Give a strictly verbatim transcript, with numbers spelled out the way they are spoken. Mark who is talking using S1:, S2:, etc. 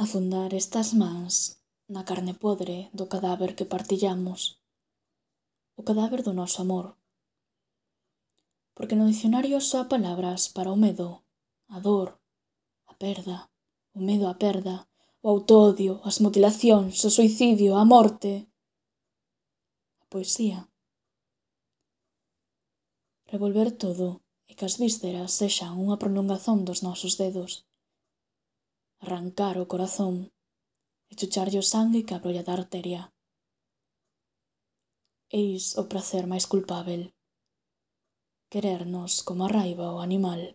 S1: Afundar estas mans na carne podre do cadáver que partillamos, o cadáver do noso amor. Porque no dicionario só hai palabras para o medo, a dor, a perda, o medo á perda, o autoodio, as mutilacións, o suicidio, a morte, a poesía. Revolver todo e que as vísceras sexan unha prolongazón dos nosos dedos. Arrancar o corazón e chucharlle o sangue que abrolla da arteria. Eis o prazer máis culpábel. Querernos como a raiva o animal.